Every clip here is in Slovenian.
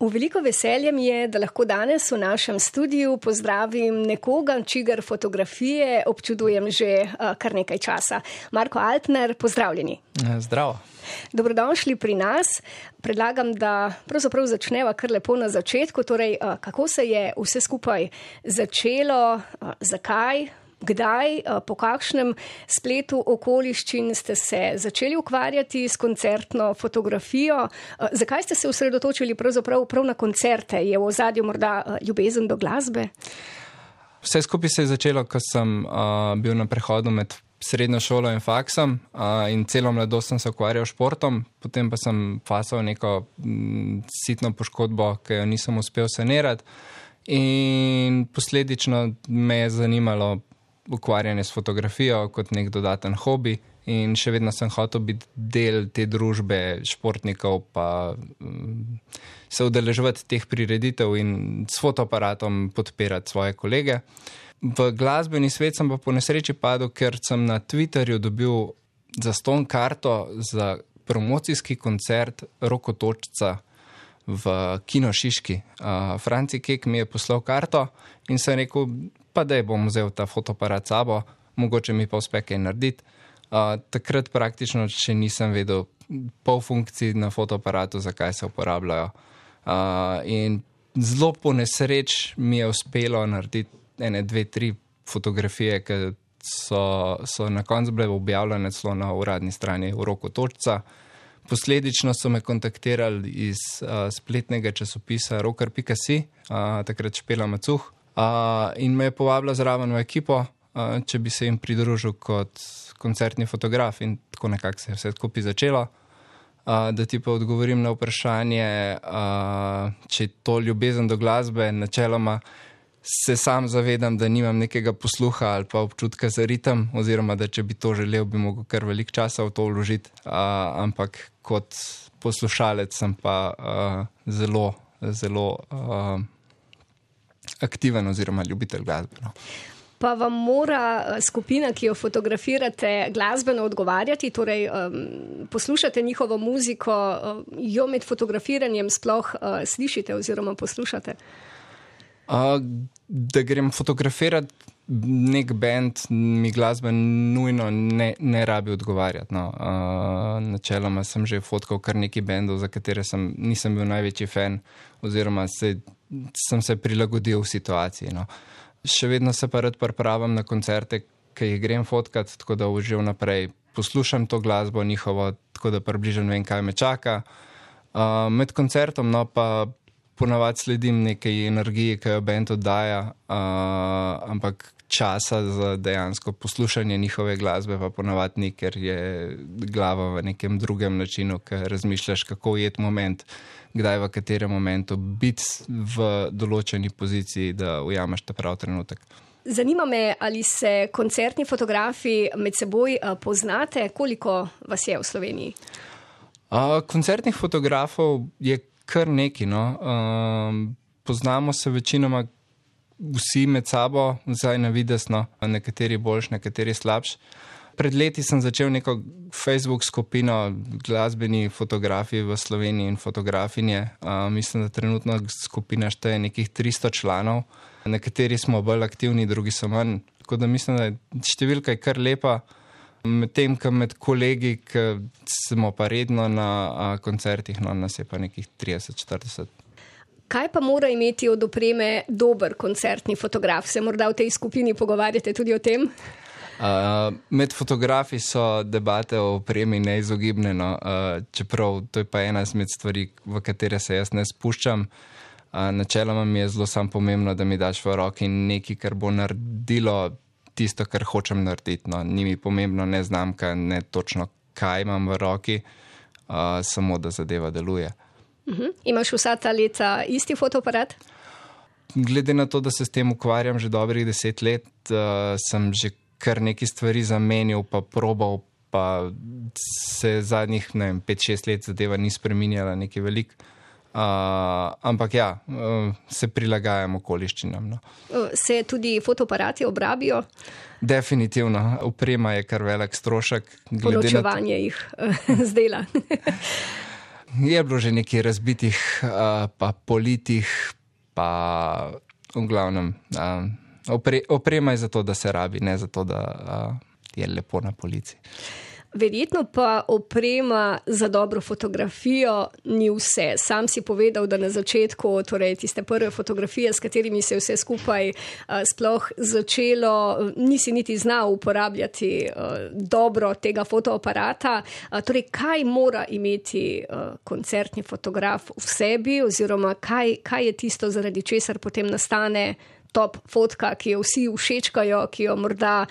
V veliko veselje mi je, da lahko danes v našem studiu pozdravim nekoga, čigar fotografije občudujem že kar nekaj časa. Marko Altner, pozdravljeni. Zdravo. Dobrodošli pri nas. Predlagam, da pravzaprav začneva kar lepo na začetku. Torej, kako se je vse skupaj začelo, zakaj, kdaj, po kakšnem spletu okoliščin ste se začeli ukvarjati s koncertno fotografijo? Zakaj ste se osredotočili prav na koncerte? Je v ozadju morda ljubezen do glasbe? Vse skupaj se je začelo, ko sem bil na prehodu med srednjo šolo in faksom in celo mladost sem se ukvarjal športom, potem pa sem fasal neko sitno poškodbo, ki jo nisem uspel sanirati in posledično me je zanimalo ukvarjanje s fotografijo kot nek dodaten hobi in še vedno sem hotel biti del te družbe športnikov pa se udeleževati teh prireditev in s fotoaparatom podpirati svoje kolege. V glasbeni svet sem pa po nesreči padel, ker sem na Twitterju dobil zastonj karto za promocijski koncert Rokotočca v Kino Šiški. Franci Kek mi je poslal karto in sem rekel, pa daj bom vzel ta fotoaparat sabo, mogoče mi pa uspe kaj narediti. Takrat praktično še nisem vedel pol funkcij na fotoaparatu, zakaj se uporabljajo. In zelo po nesreč mi je uspelo narediti 1, 2, 3 fotografije, ki so na koncu bile objavljene celo na uradni strani Rokotočca. Posledično so me kontaktirali iz spletnega časopisa rocker.si, takrat Špela Macuh, in me je povabila zraven v ekipo, če bi se jim pridružil kot koncertni fotograf in tako nekako se je vse skupaj začelo. Da ti pa odgovorim na vprašanje, če je to ljubezen do glasbe, načeloma se sam zavedam, da nimam nekega posluha ali pa občutka za ritem, oziroma da če bi to želel, bi mogel kar veliko časa v to vložiti, ampak kot poslušalec sem pa zelo aktiven oziroma ljubitelj glasbe. No. Pa vam mora skupina, ki jo fotografirate, glasbeno odgovarjati, torej poslušate njihovo muziko, jo med fotografiranjem sploh slišite oziroma poslušate? Da grem fotografirati nek band, mi glasba nujno ne rabi odgovarjati. No. Načeloma sem že fotkal kar nekaj bandov, za katere nisem bil največji fan, oziroma sem se prilagodil v situaciji. No. Še vedno se pa rad pripravim na koncerte, ki jih grem fotkat, tako da že vnaprej poslušam to glasbo njihovo, tako da približno vem, kaj me čaka. Med koncertom pa ponavadi sledim nekaj energije, ki jo band oddaja, ampak časa za dejansko poslušanje njihove glasbe pa ponavadi ni, ker je glava v nekem drugem načinu, ker razmišljaš, kako ujeti moment, kdaj v katerem momentu biti v določeni poziciji, da ujameš ta prav trenutek. Zanima me, ali se koncertni fotografi med seboj poznate, koliko vas je v Sloveniji? Koncertnih fotografov je kar nekaj, no. Poznamo se večinoma vsi med sabo, zdaj na videz, no. Nekateri boljš, nekateri slabš. Pred leti sem začel neko Facebook skupino glasbeni fotografi v Sloveniji in fotografinje. Mislim, da trenutno skupina šteje nekih 300 članov. Nekateri smo bolj aktivni, drugi so manj. Tako da mislim, da je številka kar lepa. Medtem, ko med kolegi, ki smo pa redno na koncertih, no, nas je pa nekih 30-40. Kaj pa mora imeti od opreme dober koncertni fotograf? Se morda v tej skupini pogovarjate tudi o tem? Med fotografi so debate o opremi neizogibne, no, čeprav to je pa ena izmed stvari, v katere se jaz ne spuščam. Načeloma mi je zelo samo pomembno, da mi daš v roki nekaj, kar bo naredilo tisto, kar hočem narediti. No. Ni mi pomembno ne znamka, ne točno kaj imam v roki, samo da zadeva deluje. Imaš vsa ta leta isti fotoaparat? Glede na to, da se s tem ukvarjam že dobrih 10 let, sem že kar nekaj stvari zamenjal, pa probal, pa se zadnjih 5-6 let zadeva ni spreminjala nekaj veliko. Ampak ja, se prilagajam okoliščinam. No. Se tudi fotoaparati obrabijo? Definitivno. Oprema je kar velik strošek. Ločevanje jih zdela. Je bilo že nekaj razbitih, pa politih, pa v glavnem oprema je zato, da se rabi, ne zato, da je lepo na polici. Verjetno pa oprema za dobro fotografijo ni vse. Sam si povedal, da na začetku, torej tiste prve fotografije, s katerimi se je vse skupaj sploh začelo, nisi niti znal uporabljati dobro tega fotoaparata. Torej, kaj mora imeti koncertni fotograf v sebi oziroma kaj je tisto, zaradi česar potem nastane top fotka, ki jo vsi všečkajo, ki jo morda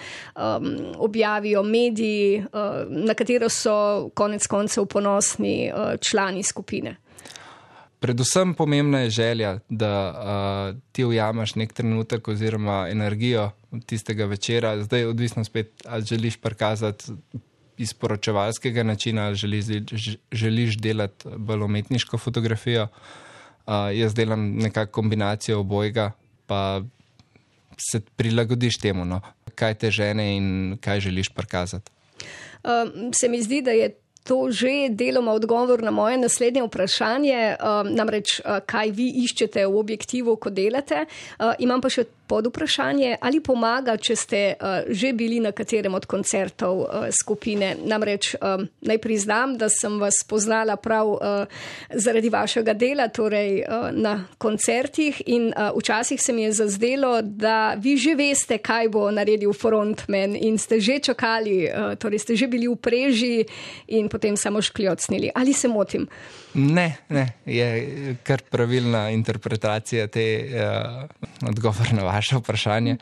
objavijo mediji, na katero so konec koncev ponosni člani skupine. Predvsem pomembna je želja, da ti ujameš nek trenutek oziroma energijo tistega večera. Zdaj odvisno spet, ali želiš prikazati iz poročevalskega načina, ali želiš delati bolj umetniško fotografijo. Jaz delam nekako kombinacijo obojega, pa se prilagodiš temu, no, kaj te žene in kaj želiš prikazati. Se mi zdi, da je to že deloma odgovor na moje naslednje vprašanje, namreč kaj vi iščete v objektivu, ko delate. Imam pa še pod vprašanje, ali pomaga, če ste že bili na katerem od koncertov skupine. Namreč naj priznam, da sem vas poznala prav zaradi vašega dela, torej na koncertih in včasih se mi je zazdelo, da vi že veste, kaj bo naredil frontman in ste že čakali, torej ste že bili v preži in potem samo škljocnili. Ali se motim? Ne, je kar pravilna interpretacija odgovor na vaše vprašanje.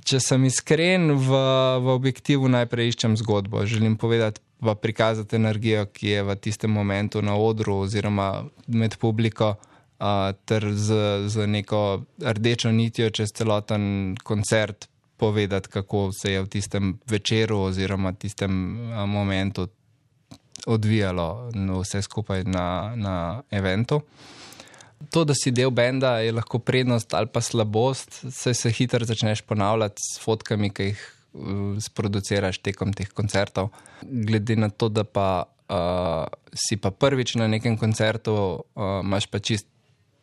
Če sem iskren, v objektivu najprej iščem zgodbo. Želim povedati pa prikazati energijo, ki je v tistem momentu na odru oziroma med publiko, ter z neko rdečo nitjo čez celoten koncert povedati, kako se je v tistem večeru oziroma tistem momentu odvijalo vse skupaj na eventu. To, da si del benda, je lahko prednost ali pa slabost, saj se hitro začneš ponavljati s fotkami, ki jih sproduciraš tekom teh koncertov. Glede na to, da pa si pa prvič na nekem koncertu, imaš pa čist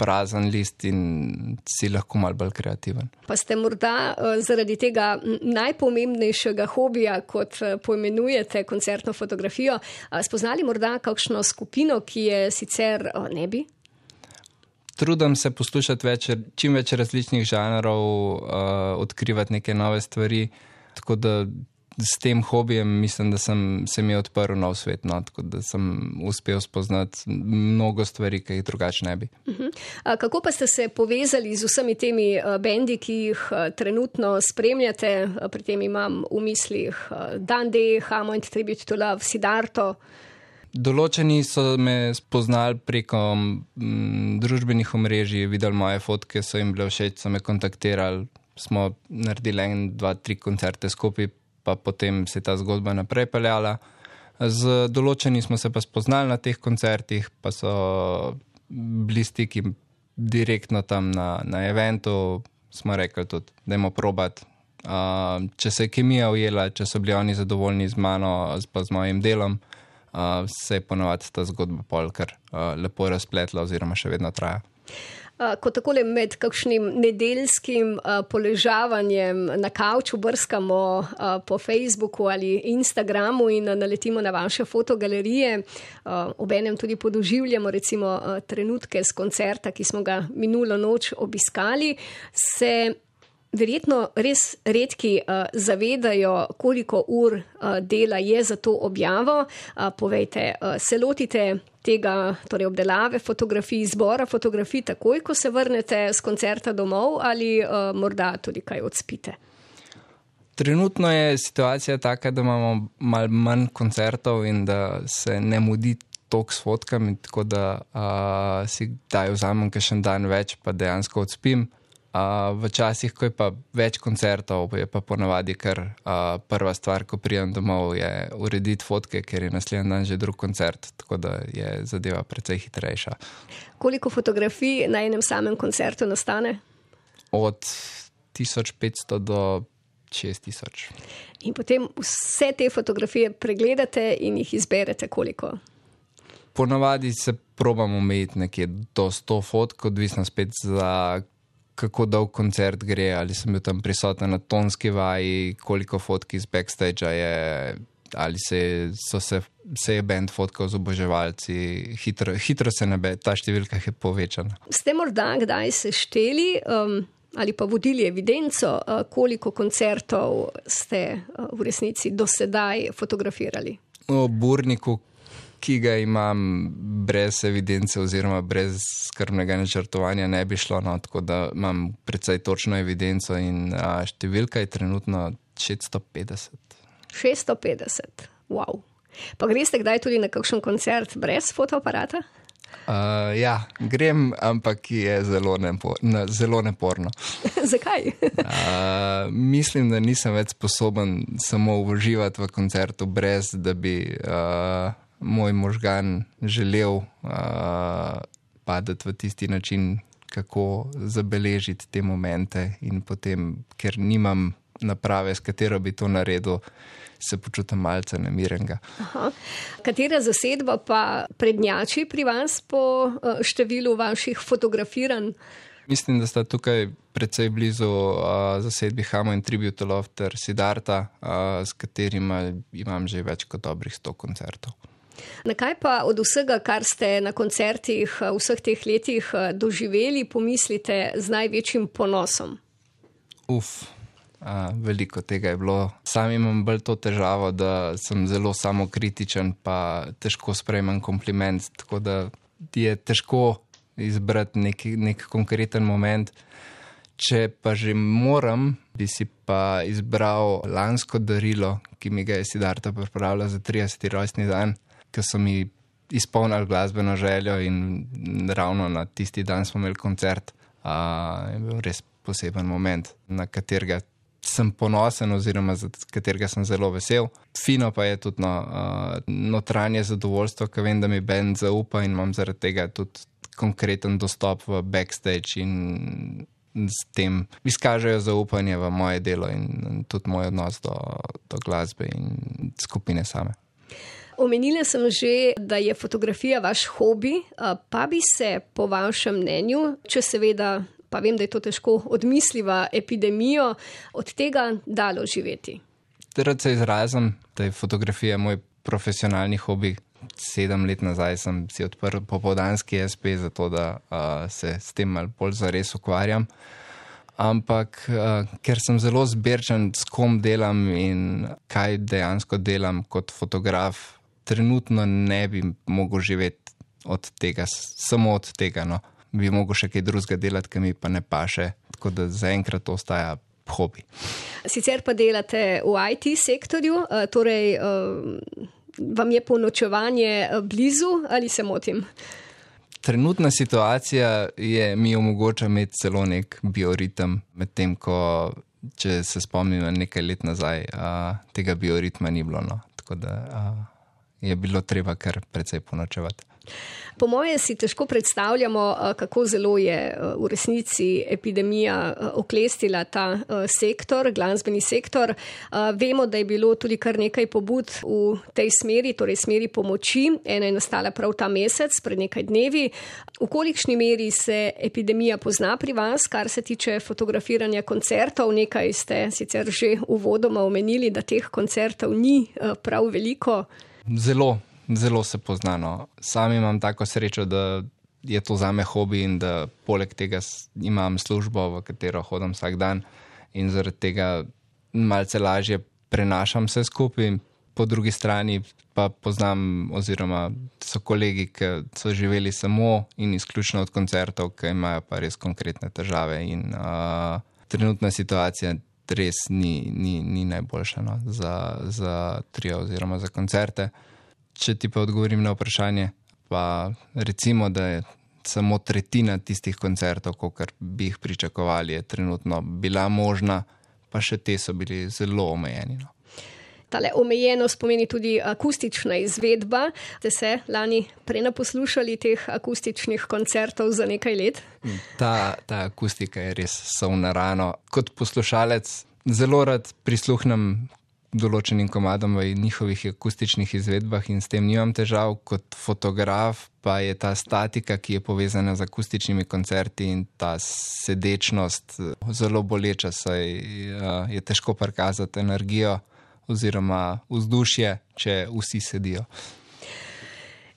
prazen list in si lahko malo bolj kreativen. Pa ste morda zaradi tega najpomembnejšega hobija, kot poimenujete koncertno fotografijo, spoznali morda kakšno skupino, ki je sicer ne bi? Trudim se poslušati čim več različnih žanrov, odkrivati neke nove stvari, tako da s tem hobijem mislim, da se mi je odprl nov svet, no, tako da sem uspel spoznati mnogo stvari, ki jih drugače ne bi. Kako pa ste se povezali z vsemi temi bendi, ki jih trenutno spremljate? Pri tem imam v mislih Dundee, Hammond, Tribute to Love, Siddharto. Določeni so me spoznali preko družbenih omrežij, videli moje fotke, so jim bile všeč, so me kontaktirali, smo naredili 1, 2, 3 koncerte skupaj, pa potem se je ta zgodba naprej peljala. Z določeni smo se pa spoznali na teh koncertih, pa so bili stiki direktno tam na eventu, smo rekli tudi, dajmo probati. Če se je kemija ujela, če so bili oni zadovoljni z mano, pa z mojim delom, se je ponovadi ta zgodba pol kar lepo razpletla oziroma še vedno traja. Ko takole med kakšnim nedeljskim poležavanjem na kavču brskamo po Facebooku ali Instagramu in naletimo na vaše fotogalerije, obenem tudi podoživljamo recimo trenutke z koncerta, ki smo ga minulo noč obiskali, se verjetno res redki zavedajo, koliko ur dela je za to objavo. Povejte, se lotite tega, torej obdelave fotografij, izbora fotografij takoj, ko se vrnete z koncerta domov ali morda tudi kaj odspite? Trenutno je situacija taka, da imamo malo manj koncertov in da se ne mudi toliko s fotkami, tako da si kdaj vzamem kakšen dan več, pa dejansko odspim. V časih, ko je pa več koncertov, je pa ponavadi kar prva stvar, ko pridem domov, je urediti fotke, ker je naslednji dan že drug koncert, tako da je zadeva precej hitrejša. Koliko fotografij na enem samem koncertu nastane? Od 1500 do 6000. In potem vse te fotografije pregledate in jih izberete koliko? Ponavadi se probam omejiti nekje do 100 fotk, odvisno spet za kako dolg koncert gre, ali sem bil tam prisoten na tonski vaji, koliko fotk iz backstagea je, ali se je band fotkal z oboževalci, hitro se nebe, ta številka je povečana. Ste morda kdaj sešteli ali pa vodili evidenco, koliko koncertov ste v resnici do sedaj fotografirali? O Burniku, ki ga imam brez evidence oziroma brez skrbnega načrtovanja, ne bi šlo, no, tako da imam precej točno evidenco in številka je trenutno 650. 650, wow. Pa greste kdaj tudi na kakšen koncert brez fotoaparata? Ja, grem, ampak je zelo neporno. Zakaj? Mislim, da nisem več sposoben samo uživati v koncertu, brez da bi moj možgan želel padati v tisti način, kako zabeležiti te momente, in potem, ker nimam naprave, s katero bi to naredil, se počutim malce nemirenega. Aha. Katera zasedba pa prednjači pri vas po številu vaših fotografiranj? Mislim, da sta tukaj precej blizu zasedbi Hamo in Tribute to Love ter Siddharta, s katerima imam že več kot dobrih 100 koncertov. Na kaj pa od vsega, kar ste na koncertih vseh teh letih doživeli, pomislite z največjim ponosom? Veliko tega je bilo. Sam imam bolj to težavo, da sem zelo samokritičen, pa težko sprejmem kompliment, tako da je težko izbrati nek konkreten moment. Če pa že moram, bi si pa izbral lansko darilo, ki mi ga je Siddharta pripravila za 30. rojstni dan, ki so mi izpolnili glasbeno željo in ravno na tisti dan smo imeli koncert. Je bil res poseben moment, na katerega sem ponosen oziroma za katerega sem zelo vesel. Fino pa je tudi notranje zadovoljstvo, ker vem, da mi band zaupa in imam zaradi tega tudi konkreten dostop v backstage in s tem izkažejo zaupanje v moje delo in tudi moj odnos do glasbe in skupine same. Omenila sem že, da je fotografija vaš hobi, pa bi se po vašem mnenju, če seveda, pa vem, da je to težko, odmisliva epidemijo, od tega dalo živeti. Rad se izrazim, da je fotografija moj profesionalni hobi. 7 let nazaj sem si odprl popoldanski SP, zato da se s tem malo bolj zares ukvarjam. Ampak ker sem zelo zbirčen, s kom delam in kaj dejansko delam kot fotograf, trenutno ne bi mogel živeti od tega, samo od tega. No. Bi mogel še kaj drugega delati, ki mi pa ne paše, tako da zaenkrat to ostaja hobi. Sicer pa delate v IT sektorju, torej vam je ponočevanje blizu ali se motim? Trenutna situacija mi omogoča imeti celo nek bioritem, medtem ko, če se spomnim na nekaj let nazaj, tega bioritma ni bilo. No. Tako da je bilo treba kar precej ponočevati. Po moje si težko predstavljamo, kako zelo je v resnici epidemija oklestila ta sektor, glasbeni sektor. Vemo, da je bilo tudi kar nekaj pobud v tej smeri, torej smeri pomoči. Ena je nastala prav ta mesec, pred nekaj dnevi. V kolikšni meri se epidemija pozna pri vas, kar se tiče fotografiranja koncertov? Nekaj ste sicer že uvodoma omenili, da teh koncertov ni prav veliko. Zelo se pozna. No. Sam imam tako srečo, da je to zame hobi in da poleg tega imam službo, v katero hodim vsak dan in zaradi tega malce lažje prenašam vse skupaj. Po drugi strani pa poznam oziroma so kolegi, ki so živeli samo in izključno od koncertov, ki imajo pa res konkretne težave in trenutna situacija res ni najboljša, no, za trio oziroma za koncerte. Če ti pa odgovorim na vprašanje, pa recimo, da je samo tretjina tistih koncertov, kolikor bi jih pričakovali, je trenutno bila možna, pa še te so bili zelo omejeni. No. Tale omejenost pomeni tudi akustična izvedba. Ste se lani prenaposlušali teh akustičnih koncertov za nekaj let? Ta akustika je res solna rano. Kot poslušalec zelo rad prisluhnem določenim komadom v njihovih akustičnih izvedbah in s tem nimam težav. Kot fotograf pa je ta statika, ki je povezana z akustičnimi koncerti in ta sedečnost zelo boleča, saj je težko prikazati energijo oziroma vzdušje, če vsi sedijo.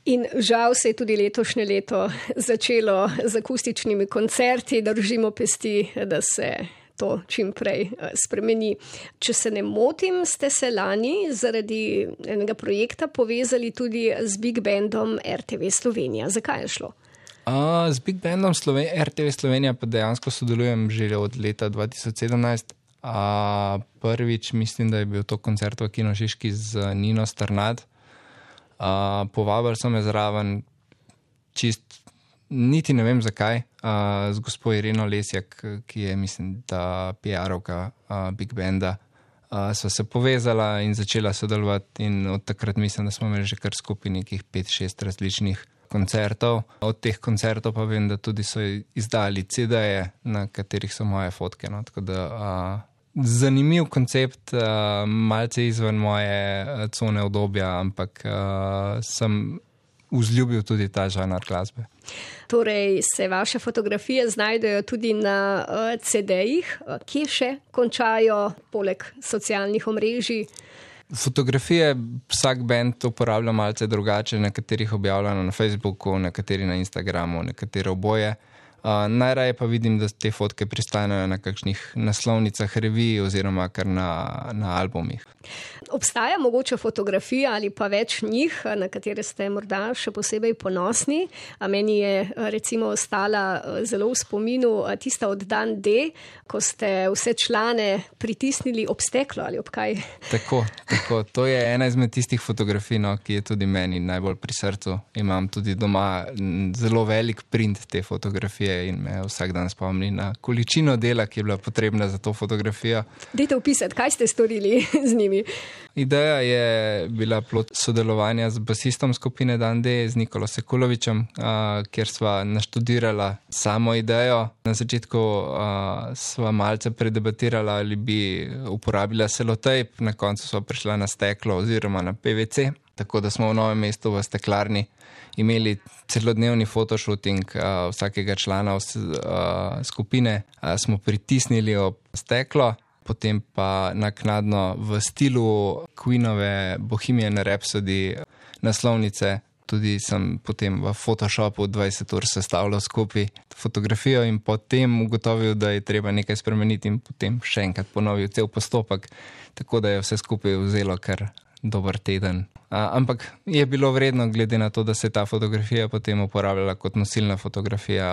In žal se je tudi letošnje leto začelo z akustičnimi koncerti, držimo pesti, da se to čim prej spremeni. Če se ne motim, ste se lani zaradi enega projekta povezali tudi z Big Bandom RTV Slovenija. Zakaj je šlo? Z Big Bandom RTV Slovenija pa dejansko sodelujem že od leta 2017. Prvič mislim, da je bil to koncert v Kino Šiški z Nino Strnad. Povabili so me zraven niti ne vem zakaj, z gospo Ireno Lesjak, ki je, mislim, da PR-ovka Big Banda. Sva se povezala in začela sodelovati in od takrat mislim, da smo imeli že kar skupaj nekih 5-6 različnih koncertov. Od teh koncertov pa vem, da tudi so izdali CD-je, na katerih so moje fotke. No? Tako da zanimiv koncept, malce izven moje cone obdobja, ampak sem vzljubil tudi ta žanr glasbe. Torej se vaše fotografije znajdejo tudi na CD-jih, kje še končajo poleg socialnih omrežij? Fotografije vsak band uporablja malce drugače, nekaterih objavljeno na Facebooku, nekateri na Instagramu, nekateri oboje. Najraje pa vidim, da te fotke pristanejo na kakšnih naslovnicah revij oziroma kar na albumih. Obstaja mogoče fotografija ali pa več njih, na katere ste morda še posebej ponosni. Meni je recimo ostala zelo v spominu tista od Dan D, ko ste vse člane pritisnili ob steklo ali ob kaj. Tako. To je ena izmed tistih fotografij, no, ki je tudi meni najbolj pri srcu. Imam tudi doma zelo velik print te fotografije in me vsak dan spomni na količino dela, ki je bila potrebna za to fotografijo. Dajte opisati, kaj ste storili z njimi? Ideja je bila plod sodelovanja z basistom skupine Dan D, z Nikolo Sekulovičem, kjer sva naštudirala samo idejo. Na začetku sva malce predebatirala, ali bi uporabila selotejp, na koncu sva prišla na steklo oziroma na PVC, tako da smo v Novem mestu v steklarni imeli celodnevni fotoshooting vsakega člana skupine, smo pritisnili ob steklo, potem pa naknadno v stilu Queenove Bohemian Rhapsody naslovnice, tudi sem potem v Photoshopu 20 ur sestavljal skupaj fotografijo in potem ugotovil, da je treba nekaj spremeniti in potem še enkrat ponovil cel postopek, tako da je vse skupaj vzelo kar dober teden. Ampak je bilo vredno, glede na to, da se je ta fotografija potem uporabljala kot nosilna fotografija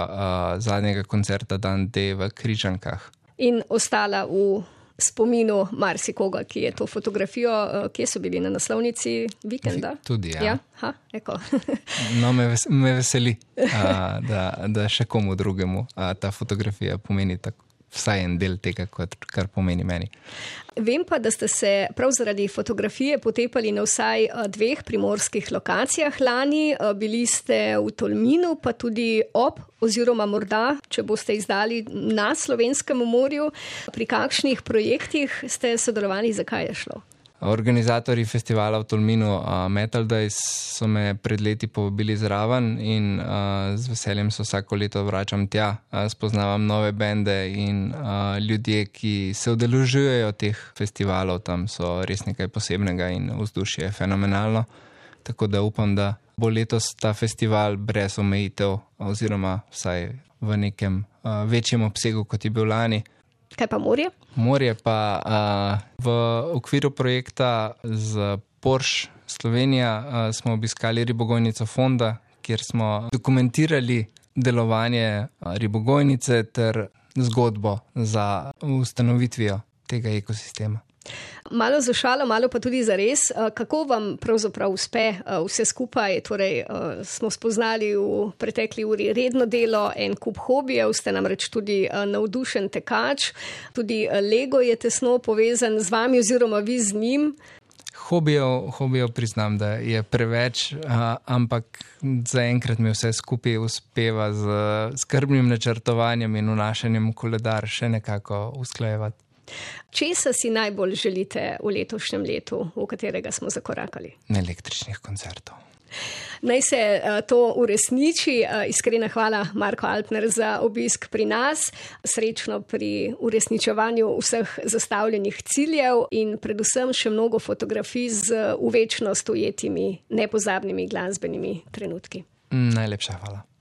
zadnjega koncerta Dan D v Križankah. In ostala v spominu marsikoga, ki je to fotografijo, kje so bili na naslovnici Vikenda? Tudi, ja. Eko. No, me veseli, da še komu drugemu ta fotografija pomeni tako. Vsaj en del tega, kar pomeni meni. Vem pa, da ste se prav zaradi fotografije potepali na vsaj 2 primorskih lokacijah lani. Bili ste v Tolminu, pa tudi ob, oziroma morda, če boste izdali na Slovenskem morju. Pri kakšnih projektih ste sodelovali, zakaj je šlo? Organizatorji festivala v Tolminu Metal Days so me pred leti povabili zraven in z veseljem se vsako leto vračam tja. Spoznavam nove bende in ljudje, ki se udeležujejo teh festivalov, tam so res nekaj posebnega in vzdušje je fenomenalno. Tako da upam, da bo letos ta festival brez omejitev oziroma vsaj v nekem večjem obsegu, kot je bil lani. Kaj pa morje? Morje pa v okviru projekta z Porsche Slovenija smo obiskali ribogojnico Fonda, kjer smo dokumentirali delovanje ribogojnice ter zgodbo za ustanovitvijo tega ekosistema. Malo za šalo, malo pa tudi za res. Kako vam pravzaprav uspe vse skupaj? Torej, smo spoznali v pretekli uri redno delo, en kup hobijev, ste namreč tudi navdušen tekač, tudi Lego je tesno povezan z vami oziroma vi z njim. Hobijev priznam, da je preveč, ampak zaenkrat mi vse skupaj uspeva z skrbnim načrtovanjem in vnašanjem v koledar še nekako usklajevati. Česa si najbolj želite v letošnjem letu, v katerega smo zakorakali? Električnih koncertov. Naj se to uresniči. Iskrena hvala, Marko Alpner, za obisk pri nas. Srečno pri uresničevanju vseh zastavljenih ciljev in predvsem še mnogo fotografij z v večnost ujetimi, nepozabnimi glasbenimi trenutki. Najlepša hvala.